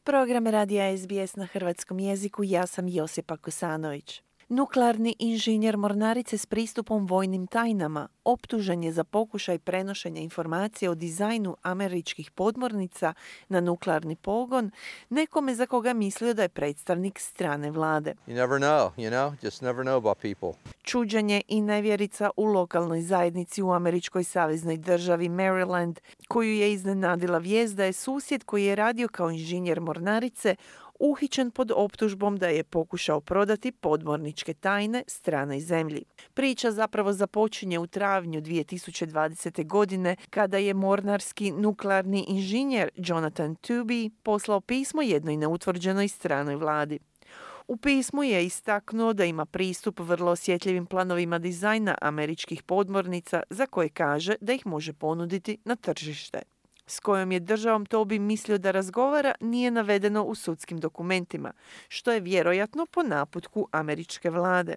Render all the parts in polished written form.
Program radija SBS na hrvatskom jeziku, ja sam Josipa Kosanović. Nuklearni inženjer mornarice s pristupom vojnim tajnama optužen je za pokušaj prenošenja informacija o dizajnu američkih podmornica na nuklearni pogon nekome za koga mislio da je predstavnik strane vlade. Just never know about people. Čuđenje i nevjerica u lokalnoj zajednici u američkoj saveznoj državi Maryland, koju je iznenadila vijest da je susjed koji je radio kao inženjer mornarice uhićen pod optužbom da je pokušao prodati podmorničke tajne stranoj zemlji. Priča zapravo započinje u travnju 2020. godine kada je mornarski nuklearni inženjer Jonathan Tooby poslao pismo jednoj neutvrđenoj stranoj vladi. U pismu je istaknuo da ima pristup vrlo osjetljivim planovima dizajna američkih podmornica za koje kaže da ih može ponuditi na tržište. S kojom je državom Tooby mislio da razgovara nije navedeno u sudskim dokumentima, što je vjerojatno po naputku američke vlade.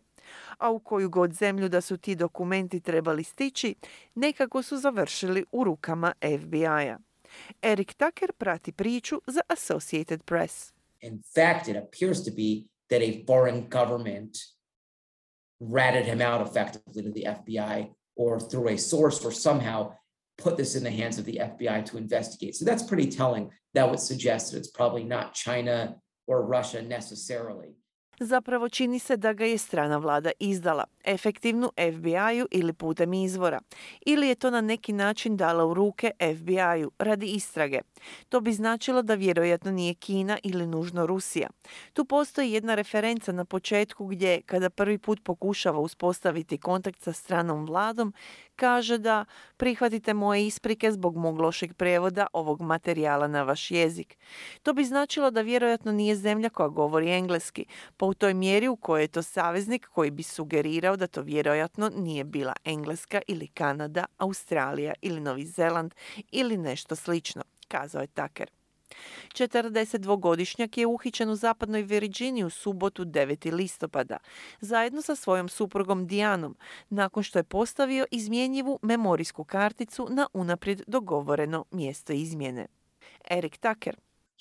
A u koju god zemlju da su ti dokumenti trebali stići, nekako su završili u rukama FBI-a. Eric Tucker prati priču za Associated Press. In fact, it appears to be that a foreign government ratted him out effectively to the FBI or through a source or somehow put this in the hands of the FBI to investigate. So that's pretty telling. That would suggest that it's probably not China or Russia necessarily. Zapravo čini se da ga je strana vlada izdala, efektivnu FBI-u ili putem izvora, ili je to na neki način dala u ruke FBI-u radi istrage. To bi značilo da vjerojatno nije Kina ili nužno Rusija. Tu postoji jedna referenca na početku gdje, kada prvi put pokušava uspostaviti kontakt sa stranom vladom, kaže da prihvatite moje isprike zbog mog lošeg prijevoda ovog materijala na vaš jezik. To bi značilo da vjerojatno nije zemlja koja govori engleski, pa u toj mjeri u kojoj je to saveznik koji bi sugerirao da to vjerojatno nije bila Engleska ili Kanada, Australija ili Novi Zeland ili nešto slično, kazao je Tucker. 42-godišnjak je uhićen u zapadnoj Virginiji u subotu 9. listopada, zajedno sa svojom suprugom Dianom, nakon što je postavio izmjenjivu memorijsku karticu na unaprijed dogovoreno mjesto izmjene. Eric Tucker.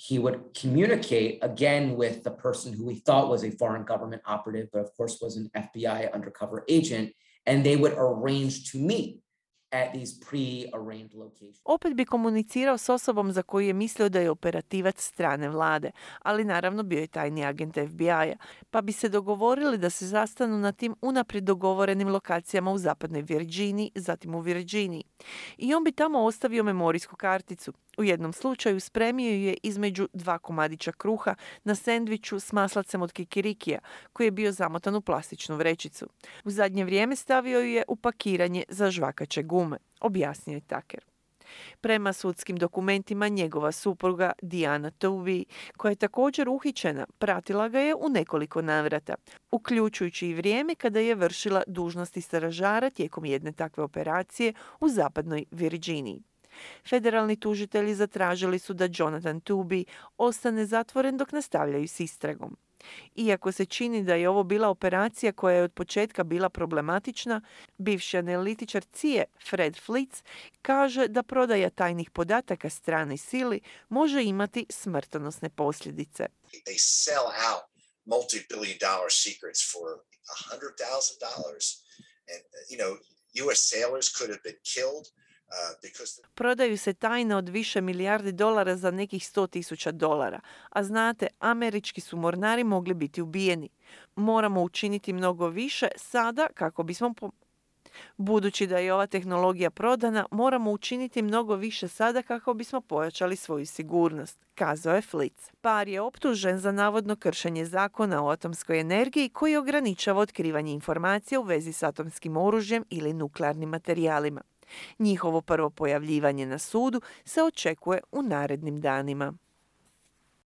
He would communicate again with the person who we thought was a foreign government operative, but of course was an FBI undercover agent, and they would arrange to meet at these pre-arranged locations. Opet bi komunicirao s osobom za koju je mislio da je operativac strane vlade, ali naravno bio je tajni agent FBI-a, pa bi se dogovorili da se zastanu na tim unaprijed dogovorenim lokacijama u zapadnoj Virginiji, zatim u Virginiji. I on bi tamo ostavio memorijsku karticu. U jednom slučaju spremio ju je između 2 komadića kruha na sendviču s maslacem od kikirikija, koji je bio zamotan u plastičnu vrećicu. U zadnje vrijeme stavio ju je u pakiranje za žvakaće gume, objasnio je Tucker. Prema sudskim dokumentima njegova supruga Diana Tooby, koja je također uhićena, pratila ga je u nekoliko navrata, uključujući i vrijeme kada je vršila dužnosti stražara tijekom jedne takve operacije u zapadnoj Virginiji. Federalni tužitelji zatražili su da Jonathan Tooby ostane zatvoren dok nastavljaju s istragom. Iako se čini da je ovo bila operacija koja je od početka bila problematična, bivši analitičar CIA Fred Flitz kaže da prodaja tajnih podataka stranoj sili može imati smrtonosne posljedice. They sell out multi-billion-dollar secrets for $100,000 and US sailors could have been killed. Prodaju se tajne od više milijardi dolara za nekih $100,000, a znate, američki su mornari mogli biti ubijeni. Moramo učiniti mnogo više sada kako bismo Budući da je ova tehnologija prodana, moramo učiniti mnogo više sada kako bismo pojačali svoju sigurnost, kazao je Flitz. Par je optužen za navodno kršenje zakona o atomskoj energiji koji ograničava otkrivanje informacija u vezi s atomskim oružjem ili nuklearnim materijalima. Njihovo prvo pojavljivanje na sudu se očekuje u narednim danima.